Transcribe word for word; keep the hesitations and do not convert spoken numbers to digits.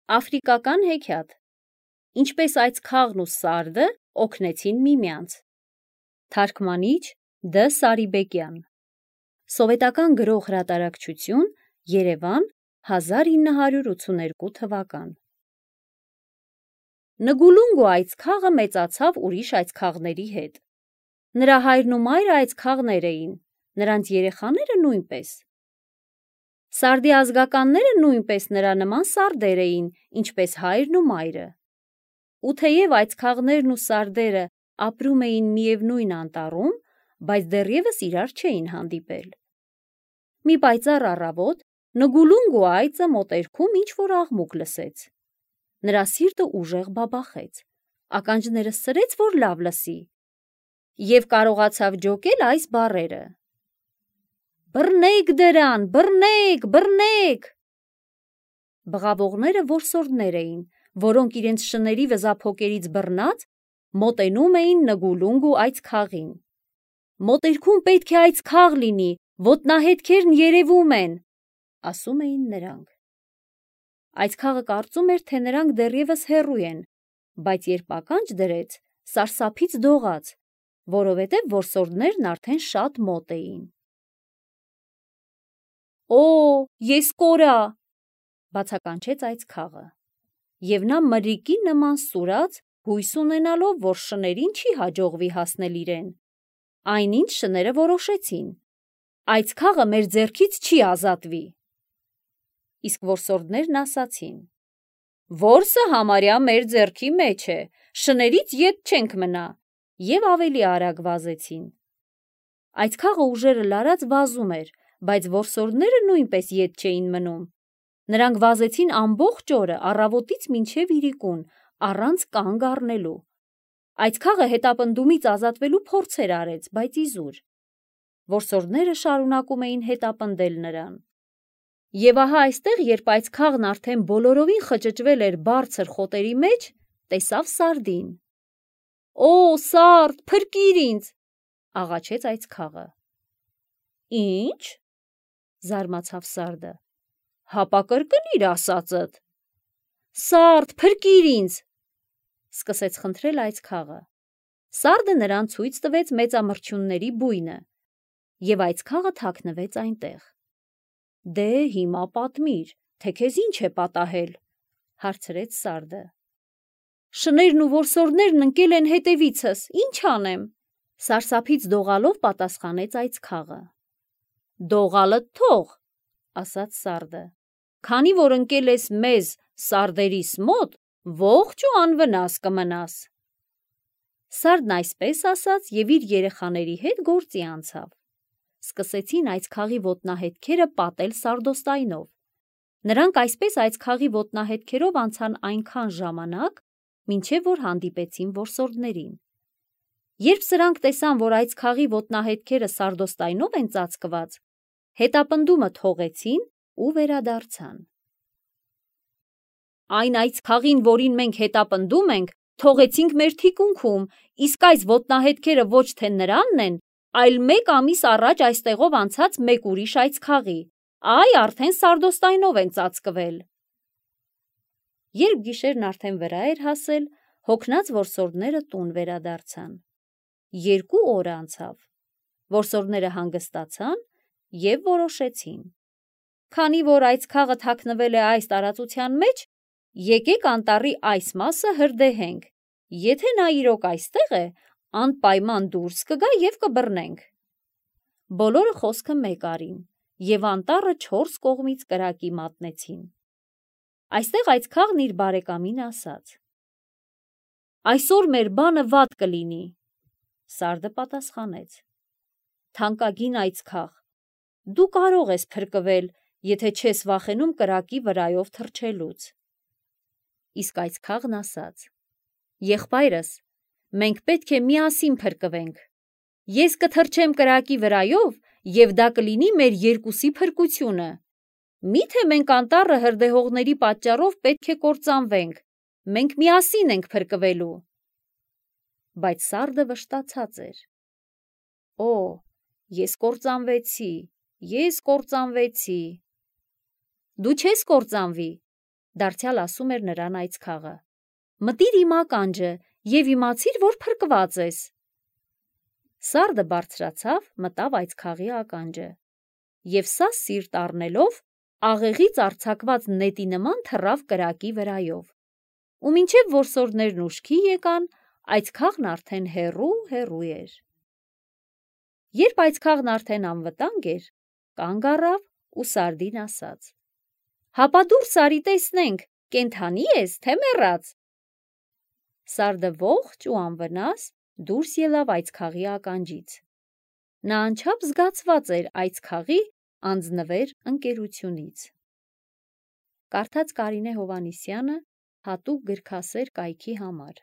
Աֆրիկական հեքիաթ։ Ինչպես այս քաղն ու սարդը օգնեցին միմյանց։ Թարգմանիչ Դ. Սարիբեկյան։ Սովետական գրող հրատարակչություն, Երևան, հազար ինը հարյուր ութսուներկու թվական։ Նգուլունգու այծքաղը մեծացավ ուրիշ այծքաղների հետ։ Նրա հայրն ու մայրը այծքաղներ էին, նրանց երեխաները նույնպես։ Սարդի ազգականները նույնպես նրա նման սարդեր էին, ինչպես հայրն ու մայրը։ Ու թեև այծքաղներն ու սարդերը ապրում էին միևնույն անտառում, բայց դեռևս իրար չէին հանդիպել։ Մի պայծառ առավոտ Նգուլունգու այծը մոտերքում ինչ-որ աղմուկ լսեց։ Նրա սիրտը ուժեղ բաբախեց, ականջները սրեց, որ լավ լսի, և կարողացավ ջոկել այս բառերը. «Բռնեք դրան, բռնեք, բռնեք»։ Բղավողները որսորդներ էին, որոնք իրենց շների վզափոկերից բռնած մոտենում էին Նգուլունգու այծքաղին։ «Մոտերքում պետք է այծքաղ լինի, ոտնահետքերն երևում են», ասում էին նրանք։ Այծքաղը կարծում էր, թե նրանք դեռևս հեռու են, բայց երբ ականջ դրեց, սարսափից դողաց, որովհետև որսորդներն արդեն շատ մոտ էին։ «Օ, ես կորա», բացականչեց այծքաղը, և նա մրրիկի նման սուրաց, հույս ունենալով, որ շներին չի հաջողվի հասնել իրեն։ Այնինչ շները որոշեցին. «Այծքաղը մեր ձեռքից չի ազատվի»։ Իսկ որսորդներն ասացին. «Որսը համարյա մեր ձեռքի մեջ է, շներից ետ չենք մնա», և ավելի արագ վազեցին։ Այծքաղը ուժերը լարած վազում էր, բայց որսորդները նույնպես ետ չէին մնում։ Նրանք վազեցին ամբողջ օրը, առավոտից մինչև իրիկուն, առանց կանգ առնելու։ Այծքաղը հետապնդումից ազատվելու փորձեր արեց, բայց իզուր։ Որսորդները շարունակում էին հետապնդել նրան։ Եվ ահա այստեղ, երբ այծքաղն արդեն բոլորովին խճճվել էր բարձր խոտերի մեջ, տեսավ սարդին։ «Օ, սարդ, փրկիր ինձ», աղաչեց այծքաղը։ «Ի՞նչ», զարմացավ սարդը, «հապա կրկնիր ասածդ»։ «Սարդ, փրկիր ինձ», սկսեց խնդրել այծքաղը։ Սարդը նրան ցույց տվեց մեծամրջյունների բույնը, և այծքաղը թաքնվեց այնտեղ։ «Դե հիմա պատմիր, թե քեզ ինչ է պատահել», հարցրեց սարդը։ «Շներն ու որսորդներն ընկել են հետևիցս, ինչ անեմ», սարսափից դողալով պատասխանեց այծքաղը։ «Դողալդ թող», ասաց սարդը, «քանի որ ընկել ես մեզ սարդերիս մոտ, ողջ ու անվնաս կմնաս»։ Սարդն այսպես ասաց և իր երեխաների հետ գործի անցավ։ Սկսեցին այծքաղի ոտնահետքերը պատել սարդոստայնով։ Նրանք այսպես այծքաղի ոտնահետքերով անցան այնքան ժամանակ, մինչև որ հանդիպեցին որսորդներին։ Երբ սրանք տեսան, որ այծքաղի ոտնահետքերը սարդոստայնով են ծածկված, հետապնդումը թողեցին ու վերադարձան։ «Այն այծքաղին, որին մենք հետապնդում ենք, թողեցինք մեր թիկունքում, իսկ այս ոտնահետքերը ոչ թե նրանն են, այլ մեկ ամիս առաջ այստեղով անցած մեկ ուրիշ այծքաղի, այ արդեն սարդոստայնով են ծածկվել»։ Երբ գիշերն արդեն վրա էր հասել, հոգնած որսորդները տուն վերադարձան։ Երկու օր անցավ։ Որսորդները հանգստացան և որոշեցին. «Քանի որ այծքաղը թաքնվել է այս տարածության մեջ, եկեք անտառի այս մասը հրդեհենք, եթե նա իրոք այստեղ է, անպայման դուրս կգա և կբռնենք»։ Բոլորը խոսքը մեկ արին, և անտառը չորս կողմից կրակի մատնեցին։ Այստեղ այծքաղն իր բարեկամին ասաց. «Այսօր մեր բանը վատ կլինի»։ Սարդը պատասխանեց. «Թանկագին այծքաղ, դու կարող ես փրկվել, եթե չես վախենում կրակի վրայով թռչելուց»։ Իսկ այծքաղն ասաց. «Եղբայրս, մենք պետք է միասին փրկվենք։ Ես կթռչեմ կրակի վրայով, և դա կլինի մեր երկուսի փրկությունը։ Մի՞թե մենք անտառը հրդեհողների պատճառով պետք է կործանվենք, մենք միասին ենք փրկվելու»։ Բայց սարդը վշտացած էր. «Օ, ես կործանվեցի, ես կործանվեցի»։ «Դու չես կործանվի, Դարձյալ ասում էր նրան այցքաղը. «Մտիր իմ ականջը և իմացիր, որ փրկված ես»։ Սարդը բարձրացավ, մտավ այցքաղի ականջը և սա սիրտ առնելով աղեղից արձակված նետի նման թռավ կրակի վրայով, ու մինչև որսորդներն ուշքի եկան, այցքաղն արդեն հեռու հեռու էր։ Երբ այցքաղն արդեն անվտանգ էր, կանգ առավ ու սարդին ասաց. «Հապա դուրս արի տեսնենք, կենդանի ես, թե մեռած»։ Սարդը ողջ ու անվնաս դուրս ելավ այցքաղի ականջից։ Նա անչափ զգացված էր այցքաղի անձնվեր ընկերությունից։ Կարդաց Կարինե Հովհաննիսյանը հատուկ գրքասեր կայքի համար։